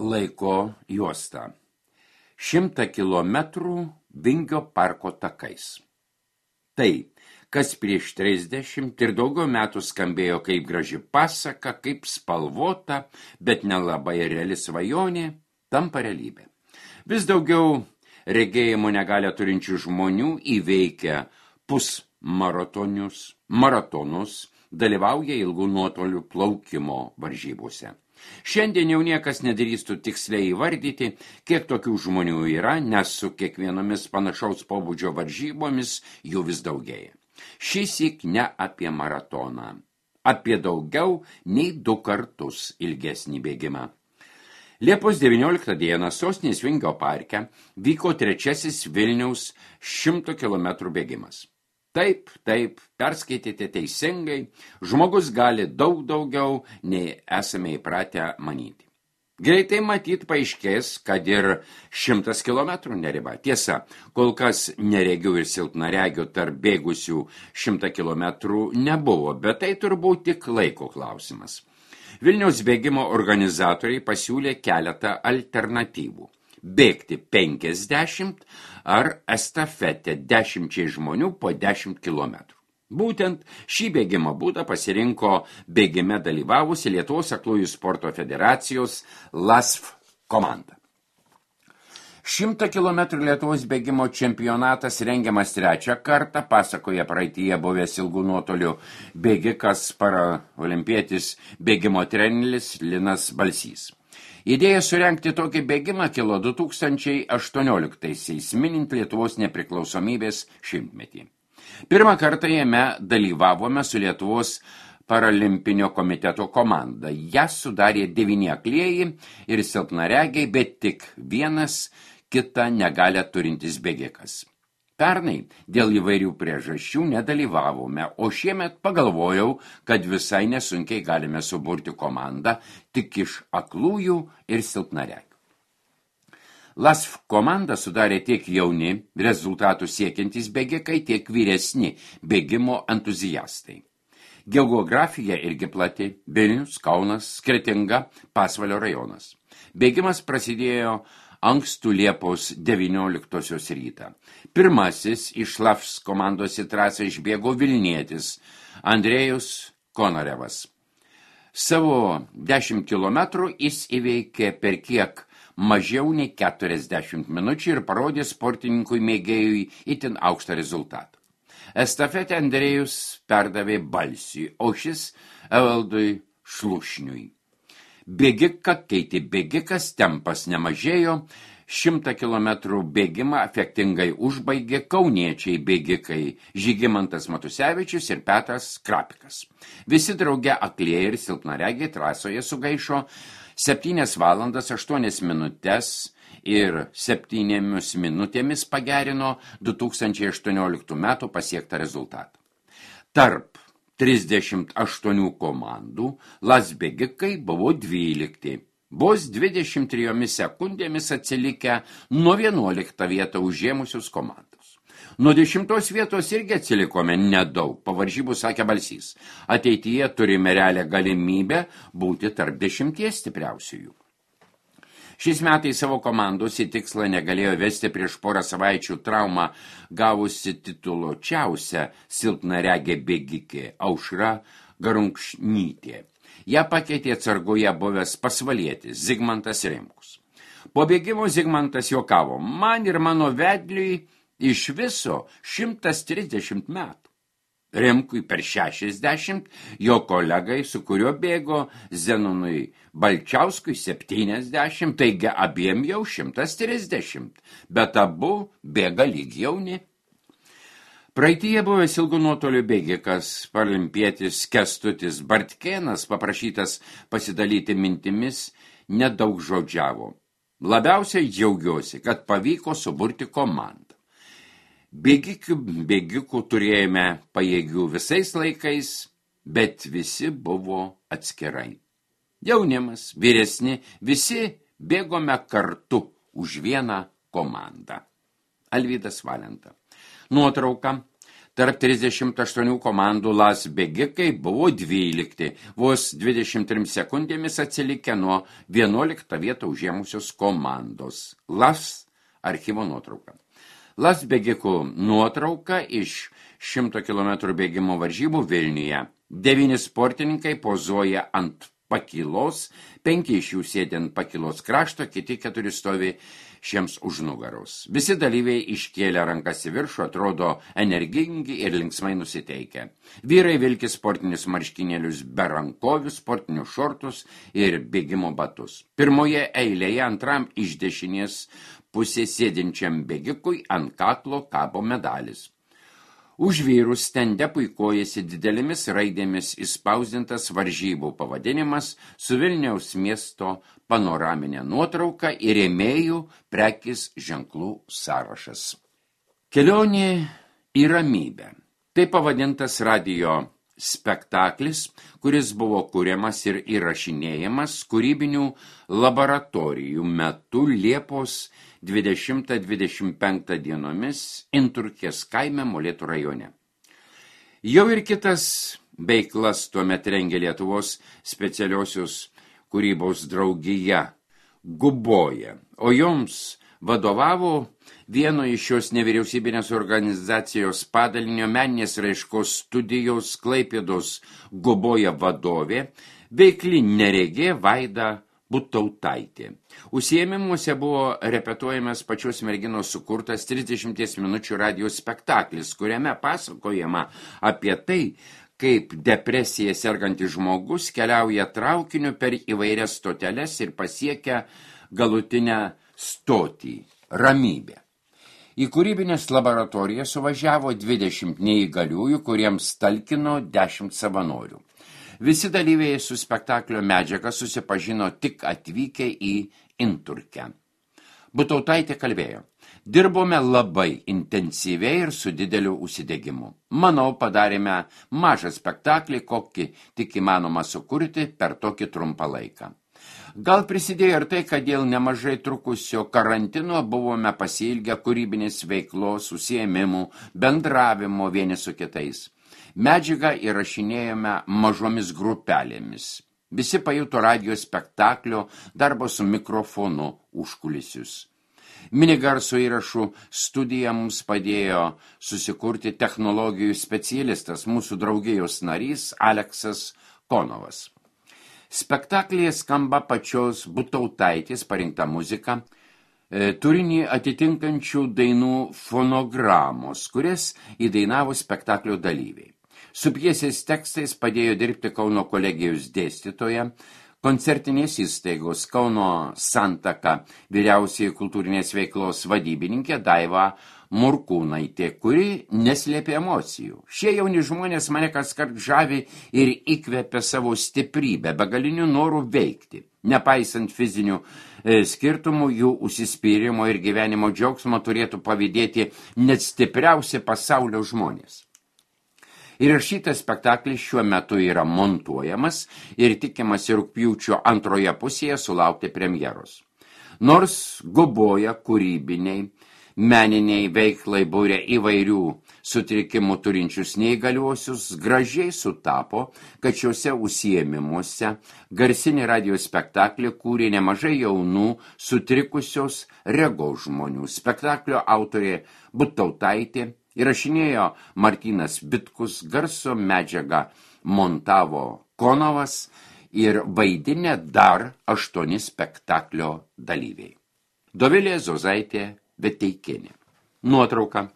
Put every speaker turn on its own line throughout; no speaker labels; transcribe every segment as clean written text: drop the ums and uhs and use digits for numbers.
laiko juosta. 100 kilometrų Vingio parko takais. Tai, kas prieš 30 ir daugiau metų skambėjo kaip graži pasaka, kaip spalvota, bet nelabai reali svajonė, tampa realybė. Vis daugiau regėjimo negalią turinčių žmonių įveikia maratonus, dalyvauja ilgų nuotolių plaukimo varžybose. Šiandien jau niekas nedrįstų tiksliai įvardyti, kiek tokių žmonių yra, nes su kiekvienomis panašaus pobūdžio varžybomis jų vis daugėja. Šįsyk ne apie maratoną, apie daugiau nei 2 kartus ilgesnį bėgimą. Liepos 19 dieną sostinės Vingio parke vyko 3. Vilniaus 100 km bėgimas. Taip, perskaitėte teisingai, žmogus gali daug daugiau, nei esame įpratę manyti. Greitai matyt paaiškės, kad ir 100 km neriba. Tiesa, kol kas neregių ir silpnaregių tarp bėgusių 100 km nebuvo, bet tai turbūt tik laiko klausimas. Vilniaus bėgimo organizatoriai pasiūlė keletą alternatyvų. Bėgti 50 ar estafetę 10 žmonių po 10 km. Būtent šį bėgimo būdą pasirinko bėgime dalyvavusi Lietuvos aklųjų sporto federacijos LASF komanda. 100 km Lietuvos bėgimo čempionatas rengiamas 3. kartą, pasakoja praeityje buvęs ilgų nuotolių bėgikas paraolimpietis bėgimo treneris Linas Balsys. Idėja surengti tokį bėgimą kilo 2018-aisiais, minint Lietuvos nepriklausomybės 100-metį. Pirmą kartą jame dalyvavome su Lietuvos paralimpinio komiteto komanda. Ją sudarė 9 aklieji ir silpnaregiai, bet tik vienas kitą negalią turintis bėgikas. Pernai dėl įvairių priežasčių nedalyvavome, o šiemet pagalvojau, kad visai nesunkiai galime suburti komandą tik iš aklųjų ir silpnaregių. LASF komandą sudarė tiek jauni, rezultatų siekiantys bėgikai, tiek vyresni bėgimo entuziastai. Geografija irgi plati: Vilnius, Kaunas, Kretinga, Pasvalio rajonas. Bėgimas prasidėjo ankstų Liepos 19 rytą. Pirmasis iš LASF komandos į trasą išbėgo vilnietis Andrėjus Konarevas. Savo 10 km jis įveikė per kiek mažiau nei 40 minučių ir parodė sportininkui mėgėjui itin aukštą rezultatą. Estafetę Andrėjus perdavė Balsiui, o šis Evaldui Šlušniui. Bėgiką keitė bėgikas, tempas nemažėjo, 100 km bėgimą efektingai užbaigė kauniečiai bėgikai Žygimantas Matusevičius ir Petras Krapikas. Visi drauge aklieji ir silpnaregiai trasoje sugaišo 7 valandas 8 minutes ir 7 minutėmis pagerino 2018 metų pasiektą rezultatą. Tarp 38 komandų LASF bėgikai buvo 12, vos 23 sekundėmis atsilikę nuo 11 vietą užėmusius komandos. Nuo 10 vietos irgi atsilikome nedaug, po varžybų sakė Balsys. Ateityje turime realią galimybę būti tarp 10 stipriausiųjų. Šiais metais savo komandos į tikslą negalėjo vesti prieš porą savaičių traumą gavusi tituluočiausią silpnaregė bėgikė Aušra Garunkšnytė. Ją pakeitė atsargoje buvęs pasvalietis Zigmantas Rimkus. Po bėgimo Zigmantas juokavo: man ir mano vedliui iš viso 130 metų. Rimkui per 60, jo kolegai, su kuriuo bėgo, Zenonui Balčiauskui 70, taigi abiem jau 130, bet abu bėga lyg jauni. Praeityje buvęs ilgų nuotolių bėgikas, paralimpietis Kęstutis Bartkėnas, paprašytas pasidalyti mintimis, nedaug žodžiavo. Labiausiai džiaugiuosi, kad pavyko suburti komandą. Bėgikų turėjome pajėgių visais laikais, bet visi buvo atskirai. Jaunimas, vyresni, visi bėgome kartu už vieną komandą. Alvydas Valenta. Nuotrauka. Tarp 38 komandų LAS bėgikai buvo 12, vos 23 sekundėmis atsilikę nuo 11 vietą užėmusios komandos. LAS archyvo nuotrauka. LAS bėgikų nuotrauka iš 100 km bėgimo varžybų Vilniuje. 9 sportininkai pozuoja ant pakylos, 5 iš jų sėdi ant pakylos krašto, kiti 4 stovi šiems už nugaros. Visi dalyviai iškėlė rankas į viršų, atrodo energingi ir linksmai nusiteikę. Vyrai vilki sportinius marškinėlius be rankovių, sportinius šortus ir bėgimo batus. Pirmoje eilėje antram iš dešinės pusės sėdinčiam bėgikui ant kaklo kabo medalis. Už vyrus stende puikuojasi didelėmis raidėmis įspausdintas varžybų pavadinimas su Vilniaus miesto panoraminė nuotrauka ir rėmėjų prekės ženklų sąrašas. Kelionė į ramybę. Tai pavadintas radijo spektaklis, kuris buvo kuriamas ir įrašinėjamas kūrybinių laboratorijų metu Liepos 20-25 dienomis Inturkės kaime Molėtų rajone. Jau ir kitas veiklas tuomet rengė Lietuvos specialiosios kūrybos draugija Guboja, o joms vadovavo vieno iš šios nevyriausybinės organizacijos padalinio meninės raiškos studijos Klaipėdos Guboja vadovė, veikli neregė Vaida Butautaitė. Užsiėmimuose buvo repetuojamas pačios merginos sukurtas 30 minučių radijo spektaklis, kuriame pasakojama apie tai, kaip depresija sergantis žmogus keliauja traukiniu per įvairias stoteles ir pasiekia galutinę stotį – ramybę. Į kūrybinės laboratorijas suvažiavo 20 neįgaliųjų, kuriems talkino 10 savanorių. Visi dalyviai su spektaklio medžiaga susipažino tik atvykę į Inturkę. Butautaitė kalbėjo: dirbome labai intensyviai ir su dideliu užsidegimu. Manau, padarėme mažą spektaklį, kokį tik įmanoma sukurti per tokį trumpą laiką. Gal prisidėjo ir tai, kad dėl nemažai trukusio karantino buvome pasiilgę kūrybinės veiklos, užsiėmimų, bendravimo vieni su kitais. Medžiagą įrašinėjome mažomis grupelėmis. Visi pajuto radijo spektaklio darbo su mikrofonu užkulisius. Minigarso įrašų studiją mums padėjo susikurti technologijų specialistas, mūsų draugijos narys Aleksas Konovas. Spektaklyje skamba pačios Butautaitės parinkta muzika, turinį atitinkančių dainų fonogramos, kurias įdainavo spektaklio dalyviai. Su pjesės tekstais padėjo dirbti Kauno kolegijos dėstytoja, koncertinės įstaigos Kauno Santaka vyriausiai kultūrinės veiklos vadybininkė Daiva Murkūnaitė, kuri neslėpė emocijų. Šie jauni žmonės mane kaskart žavi ir įkvepia savo stiprybę, begalinių norų veikti. Nepaisant fizinių skirtumų, jų užsispyrimo ir gyvenimo džiaugsmo turėtų pavydėti net stipriausi pasaulio žmonės. Įrašytas spektaklis šiuo metu yra montuojamas ir tikimasi rugpjūčio antroje pusėje sulaukti premjeros. Nors Guboja kūrybiniai, meniniai veiklai būrė įvairių sutrikimų turinčius neįgaliuosius, gražiai sutapo, kad šiuose užsiėmimuose garsinį radijo spektaklį kūrė nemažai jaunų sutrikusios regos žmonių. Spektaklio autorė Butautaitė, įrašinėjo Martynas Bitkus, garso medžiagą montavo Konovas ir vaidinę dar 8 spektaklio dalyviai. Dovilė Zozaitė Veteikienė. Nuotrauka.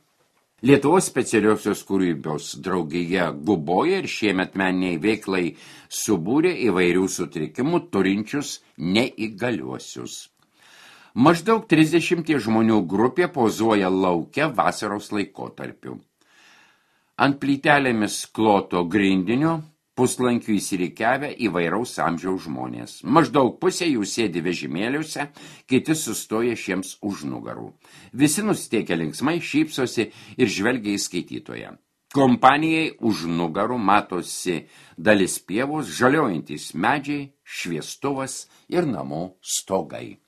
Lietuvos specialiosios kūrybos draugija Guboja ir šiemet meniniai veiklai subūrė įvairių sutrikimų turinčius neįgaliuosius. Maždaug 30 žmonių grupė pozuoja lauke vasaros laikotarpiu. Ant plytelėmis kloto grindinio puslankių įsirikiavę įvairaus amžiaus žmonės. Maždaug pusė jų sėdi vežimėliuose, kiti sustoja šiems už nugarų. Visi nusiteikę linksmai, šypsosi ir žvelgia į skaitytoją. Kompanijai už nugarų matosi dalis pievos, žaliojantys medžiai, šviestuvas ir namų stogai.